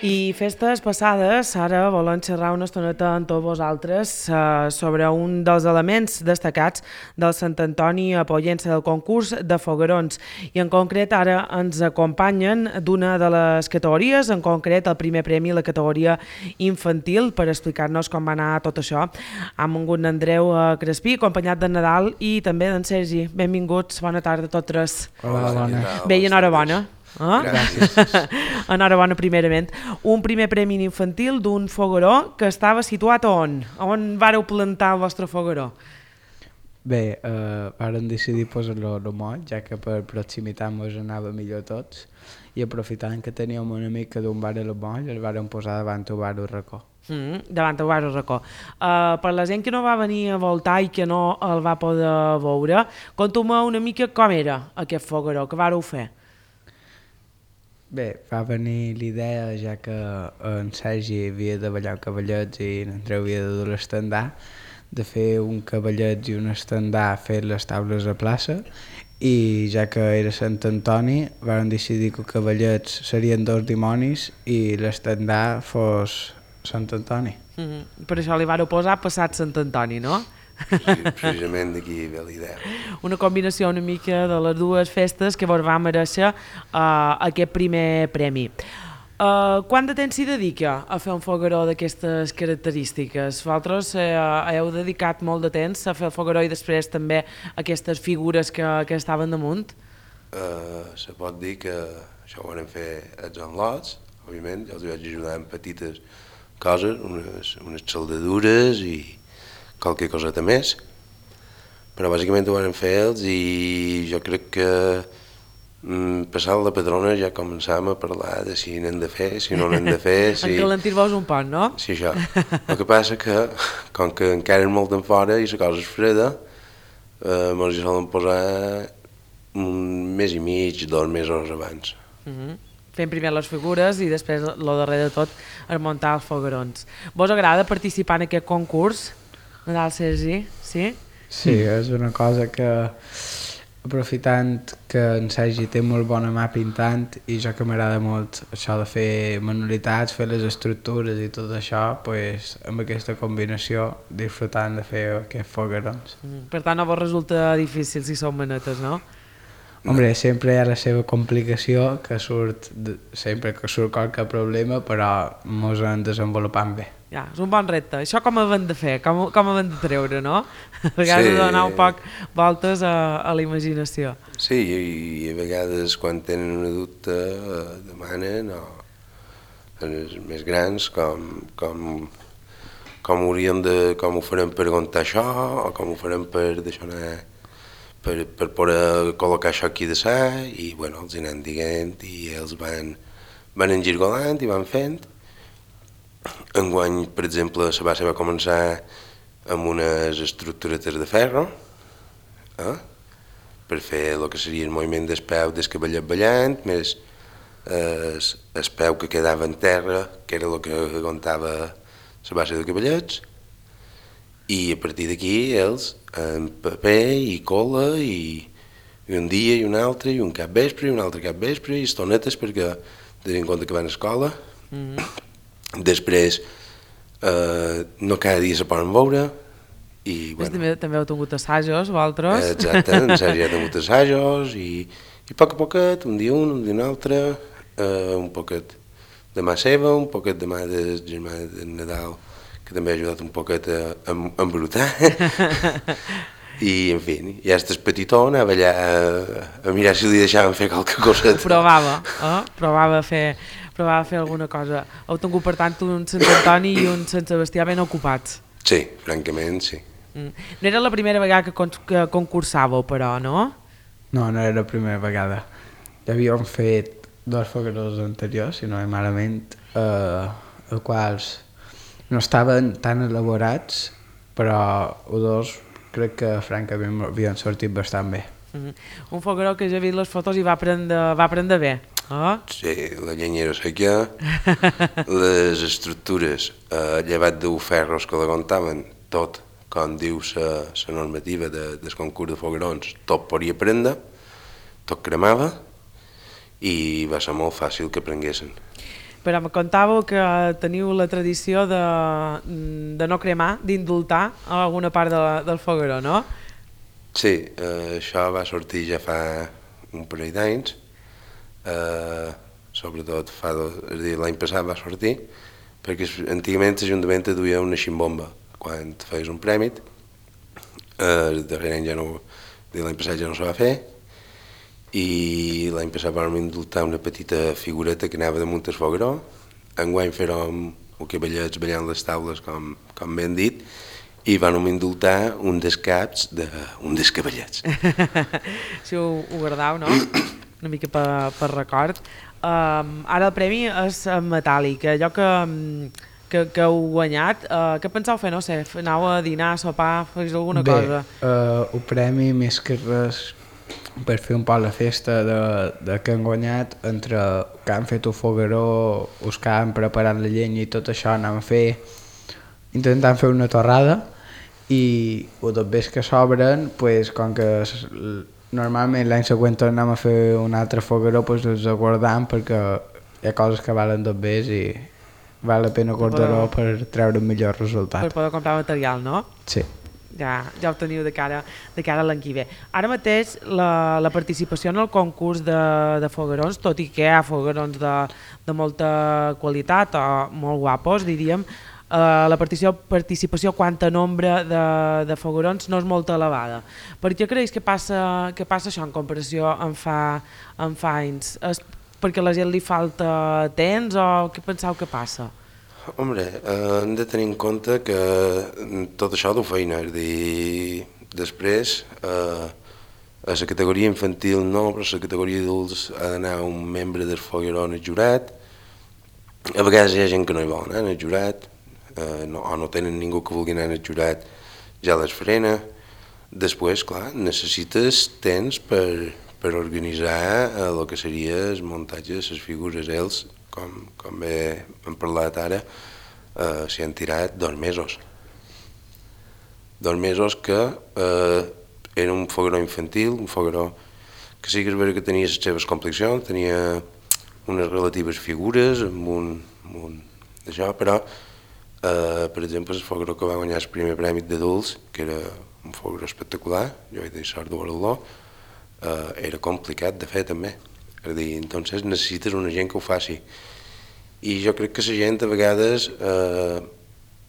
I festes passades, ara volem xerrar una estoneta amb tots vosaltres sobre un dels elements destacats del Sant Antoni a Pollença del concurs de foguerons. I en concret ara ens acompanyen d'una de les categories, en concret el primer premi, la categoria infantil, per explicar-nos com va anar tot això. Hem vingut d'Andreu Crespí, acompanyat d'en Nadal i també d'en Sergi. Benvinguts, bona tarda a tots tres. Hola, bona. Bé, i enhorabona. Gràcies. Enhorabona primerament. Un primer premi infantil d'un fogueró que estava situat on? On vareu plantar el vostre fogueró? Bé, vàrem decidir posar-lo a moll, ja que per proximitat ens anava millor a tots, i aprofitant que teníem una mica d'un bar a moll, el vàrem posar davant el bar al racó. Davant el bar al racó. Per la gent que no va venir a voltar i que no el va poder veure, conta'm una mica com era aquest fogueró, què vareu fer? Bé, va venir l'idea, ja que en Sergi havia de ballar cavallets i en Andreu havia de dur l'estendar, de fer un cavallet i un estendar fet les taules a plaça, i ja que era Sant Antoni vam decidir que els cavallets serien dos dimonis i l'estendar fos Sant Antoni. Per això li vareu posar Passat Sant Antoni, no? Sí, precisament d'aquí ve la idea. Una combinació una mica de les dues festes que vos va mereixer aquest primer premi. Quant de temps s'hi dedica a fer un fogueró d'aquestes característiques? Vosaltres heu dedicat molt de temps a fer el fogueró i després també aquestes figures que estaven damunt? Se pot dir que això ho vam fer els enlots, òbviament, ja els vaig ajudar amb petites coses, unes soldadures i qualque coseta més, però bàsicament ho vam fer ells i jo crec que passant la padrona ja començàvem a parlar de si n'hem de fer, si no n'hem de fer... Si... Encalentir-vos un poc, no? Sí, això. El que passa que, com que encara és molt en fora i la cosa és freda, ens hi solen posar un mes i mig, 2 mesos abans. Fent primer les figures i després, el darrer de tot, es muntar els foguerons. Vos agrada participar en aquest concurs? Nadal, Sergi, sí? Sí, és una cosa que, aprofitant que en Sergi té molt bona mà pintant i jo que m'agrada molt això de fer manualitats, fer les estructures i tot això, pues, amb aquesta combinació disfrutant de fer aquests foguerons. Per tant, no vos resulta difícil si són manetes, no? Hombre, sempre hi ha la seva complicació, que surt sempre que surt qualque problema, però mos en desenvolupant bé. Ja, és un bon repte. Això com ho hem de fer? Com ho hem de treure, no? A vegades sí. Donar un poc voltes a la imaginació. Sí, i a vegades quan tenen una dubte demanen els més grans com ho farem per aguantar això o com ho farem per deixar anar per poder col·locar això aquí de sa i bueno, els anem dient i ells van engirgolant i van fent. Enguany, per exemple, la base va començar amb unes estructuretes de ferro per fer el que seria el moviment del peu del cavallet ballant, més el peu que quedava en terra, que era el que aguantava la base de cavallets, i a partir d'aquí ells, amb paper i cola, i un dia i un altre, i un capvespre, i un altre capvespre, i estonetes perquè tenint en compte que van a escola. Després, no cada dia se poden veure. I, bueno, també heu tingut assajos, vosaltres? Exacte, en Sergi ha tingut assajos i a poquet, un dia un altre, un poquet de mà seva, un poquet de mà del germà de Nadal, que també ha ajudat un poquet a embrutar. I, en fi, ja estàs petitó, anava allà a mirar si li deixaven fer qualque cosa. Provava a fer alguna cosa. Heu tingut, per tant, un Sant Antoni i un Sant Sebastià ben ocupats. Sí, francament, sí. No era la primera vegada que concursàveu, però, no? No, no era la primera vegada. Ja havíem fet 2 foguerons anteriors, si no és malament, els quals no estaven tan elaborats, però els dos crec que francament havien sortit bastant bé. Un fogueró que ja he vist les fotos i va prendre bé. Sí, la llenya era seca, les estructures, llevat de ferros que l'aguantaven tot, com diu la normativa del concurs de foguerons, tot podia prendre, tot cremava i va ser molt fàcil que prenguessin. Però me contàveu que teniu la tradició de no cremar, d'indultar alguna part del fogueró, no? Sí, això va sortir ja fa un parell d'anys, sobretot és a dir, l'any passat va sortir, perquè antigament l'Ajuntament duia una ximbomba quan feies un prèmit, el darrer any ja no, l'any passat ja no se va fer, i l'any passat vam indultar una petita figureta que anava damunt el fogueró. Enguany fèrem cavallets ballant les taules, com ben dit, i vam indultar un dels caps d'un dels cavallets. Si ho guardau, no? Una mica per record. Ara el premi és metàl·lic, allò que heu guanyat, què penseu fer? No sé, aneu a dinar, a sopar, fes alguna cosa? Bé, el premi més que res per fer un poc la festa de que han guanyat, entre que han fet el fogueró, els que han preparat la llenya i tot això, anem a fer, intentant fer una torrada, i els dobbers que sobren, pues, com que normalment l'any següent anem a fer un altre fogueró, pues, els guardam perquè hi ha coses que valen dobbers i val la pena guardar-ho per treure un millor resultat. Per poder comprar material, no? Sí. Ja ho teniu de cara a l'any que ve. Ara mateix la participació en el concurs de foguerons, tot i que hi ha foguerons de molta qualitat o molt guapos, diríem, la participació quant a nombre de foguerons no és molt elevada. Per què creus que passa això en comparació amb fa anys? És perquè a la gent li falta temps o què penseu que passa? Hombre, hem de tenir en compte que tot això du feina, és a dir, després a la categoria infantil no, però a la categoria adults ha d'anar un membre del fogueró en el jurat. A vegades hi ha gent que no hi vol anar en el jurat, o no tenen ningú que vulgui anar en el jurat, ja les frena. Després, clar, necessites temps per organitzar el que seria el muntatge de les figures. Ells, com bé hem parlat ara, s'hi han tirat 2 mesos. 2 mesos que era un fogueró infantil, un fogueró que sí que és veritat que tenia les seves complicacions, tenia unes relatives figures amb un d'això, però per exemple el fogueró que va guanyar el primer premi d'adults, que era un fogueró espectacular, jo vaig dir sort de veure-lo, era complicat de fer també. És a dir, entonces necessites una gent que ho faci. I jo crec que la gent a vegades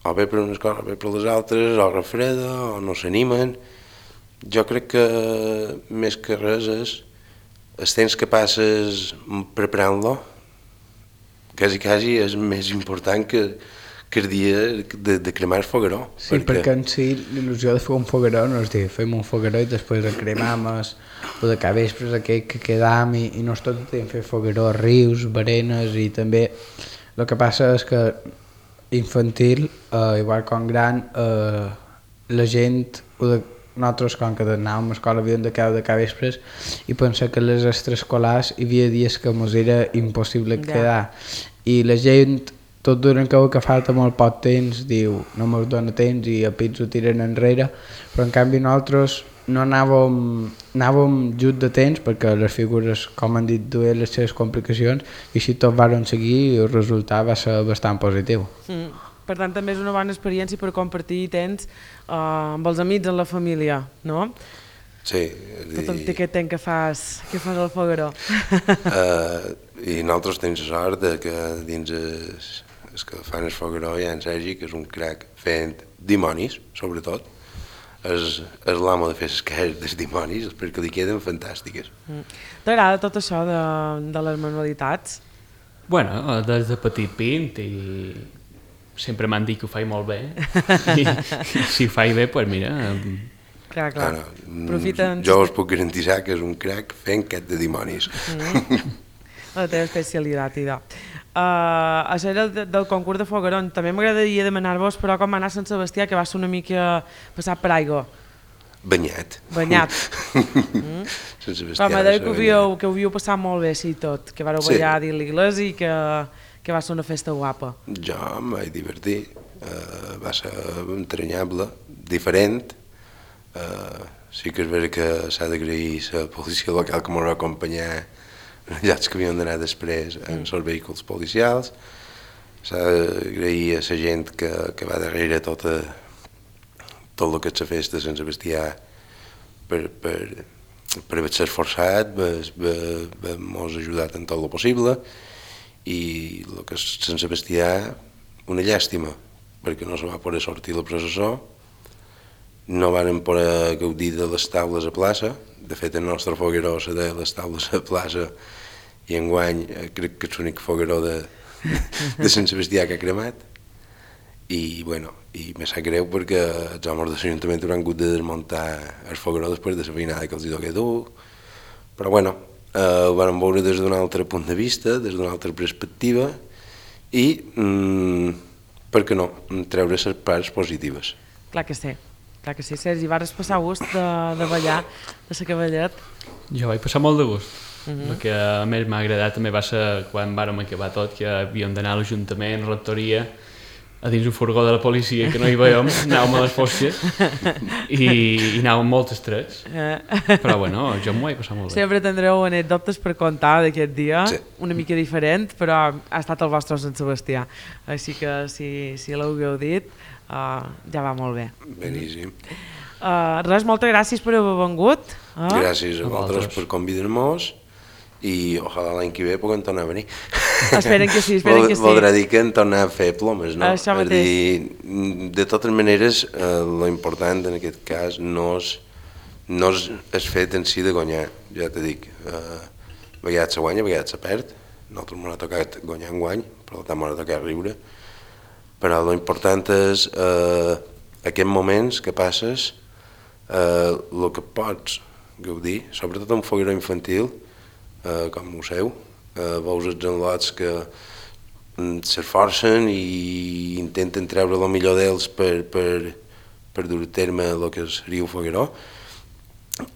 o ve per unes coses o ve per les altres, o refreda, o no s'animen. Jo crec que més que res és el temps que passes preparant-lo, quasi és més important que el dia de cremar el fogueró. Sí, perquè en si l'il·lusió de fer un fogueró no és dir, fem un fogueró i després el cremam, o de capvespres aquell que quedam i no és tot el temps fer fogueró, rius, berenes, i també el que passa és que infantil, igual com gran, la gent, nosaltres com que anàvem a escola havíem de quedar de capvespres i pensar que a les extraescolars hi havia dies que ens era impossible quedar, i la gent tot durant que falta molt poc temps diu no me'ls dona temps i a pits ho tiren enrere, però en canvi nosaltres no anàvem just de temps perquè les figures, com han dit, duien les seves complicacions i així tot van seguir i el resultat va ser bastant positiu. Per tant, també és una bona experiència per compartir temps amb els amics, amb la família, no? Sí. Tot el aquest temps que fas al fogueró. I nosaltres tenim la sort que dins els que fan el fogueró hi ha en Sergi, que és un crac fent dimonis, sobretot. És l'amo de fer les cares dels dimonis, perquè li queden fantàstiques. T'agrada tot això de les manualitats? Bueno, des de petit pint i sempre m'han dit que ho faig molt bé i si ho faig bé, doncs mira... Clar. Jo us puc garantitzar que és un crac fent cat de dimonis. La teva especialitat, idò. Això era del concurs de foguerons. També m'agradaria demanar-vos, però com va anar Sant Sebastià, que va ser una mica passat per aigua. Banyat. Sant Sebastià. Però m'ha dit que ho havíeu passat molt bé, sí, tot, que vareu ballar a l'Iglesias i que va ser una festa guapa. Jo em vaig divertir, va ser entranyable, diferent. Sí que és veritat que s'ha d'agrair la policia local que m'ho va acompanyar llocs que havien d'anar després en els vehicles policials. S'ha d'agrair a la gent que va darrere tot el que és la festa de Sant Sebastià per haver-se esforçat, per mos ajudat en tot el possible, i el que és Sant Sebastià, una llàstima, perquè no se va poder sortir la processó, no varen poder gaudir de les taules a plaça. De fet, el nostre fogueró se deia les taules a plaça, i enguany crec que és l'únic fogueró de Sant Sebastià que ha cremat. I me sap greu perquè els homes de l'Ajuntament hauran hagut de desmuntar el fogueró després de la feinada que els hi toca dur. Però ho vam veure des d'un altre punt de vista, des d'una altra perspectiva, i, per què no, treure les parts positives. Clar que sí. Sergi, vas passar gust de ballar de la cavallet? Jo vaig passar molt de gust. El que a més m'ha agradat també va ser quan vàrem acabar tot, que havíem d'anar a l'Ajuntament, rectoria, a dins un furgó de la policia que no hi veiem, anàvem a les fosques i anàvem molt estrets. Però jo m'ho vaig passar molt bé. Sempre tindreu anècdotes per contar d'aquest dia, sí. Una mica diferent, però ha estat el vostre Sant Sebastià. Així que si l'heu gaudit, ja va molt bé. Beníssim. Res, moltes gràcies per haver vengut. Gràcies a vosaltres per convidar-nos, i ojalà l'any que ve puguem tornar a venir. Esperen que sí. Voldrà dir que en tornar a fer plomes, no? Això mateix. De totes maneres, lo important en aquest cas no és el fet en si de guanyar. Ja t'he dit, a vegades se guanya, a vegades se perd. Nosaltres m'ha tocat guanyar enguany, per tant m'ha tocat riure. Però lo important és aquests moments que passes, el que pots gaudir, sobretot un fogueró infantil, com ho seu, veus els enlots que s'esforcen i intenten treure el millor d'ells per dur a terme el que seria un fogueró,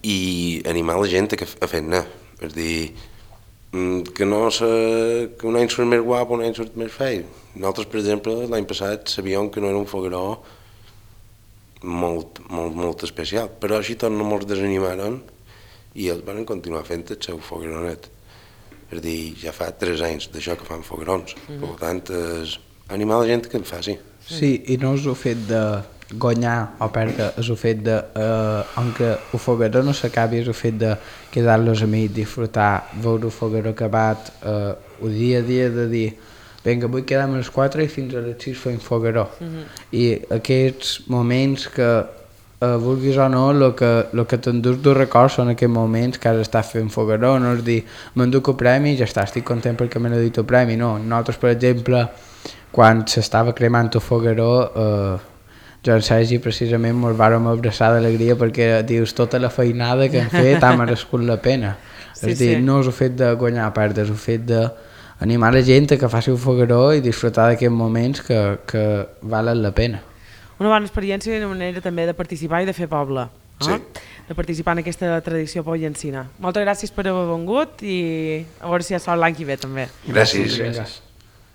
i animar la gent a fer-ne. És dir, que un any surt més guap, un any surt més fei. Nosaltres, per exemple, l'any passat sabíem que no era un fogueró molt especial, però així tot no ens desanimaren i ells van continuar fent el seu fogueronet. És dir, ja fa 3 anys d'això que fan foguerons. Per tant, és animar la gent que el faci. Sí, i no és el fet de guanyar o perdre, és el fet de, aunque el fogueró no s'acabi, és el fet de quedar-los amics, disfrutar, veure el fogueró acabat, el dia a dia de dir vinga, avui quedem a les 4 i fins a les 6 fem fogueró. I aquests moments que, vulguis o no, el que t'endús de records són aquests moments que has estat fent fogueró, no és dir, m'enduc el premi i ja està, estic content perquè m'he dit el premi, no. Nosaltres, per exemple, quan s'estava cremant el fogueró, jo i en Sergi precisament ens vàrem abraçar d'alegria perquè dius, tota la feinada que hem fet ha merescut la pena. Sí, és dir, no és el fet de guanyar o perdre, és el fet d'animar la gent a que faci un fogueró i disfrutar d'aquests moments que valen la pena. Una bona experiència i una manera també de participar i de fer poble. Sí. De participar en aquesta tradició pollencina. Moltes gràcies per haver vengut i a veure si hi ha sort l'any que ve també. Gràcies. Gràcies.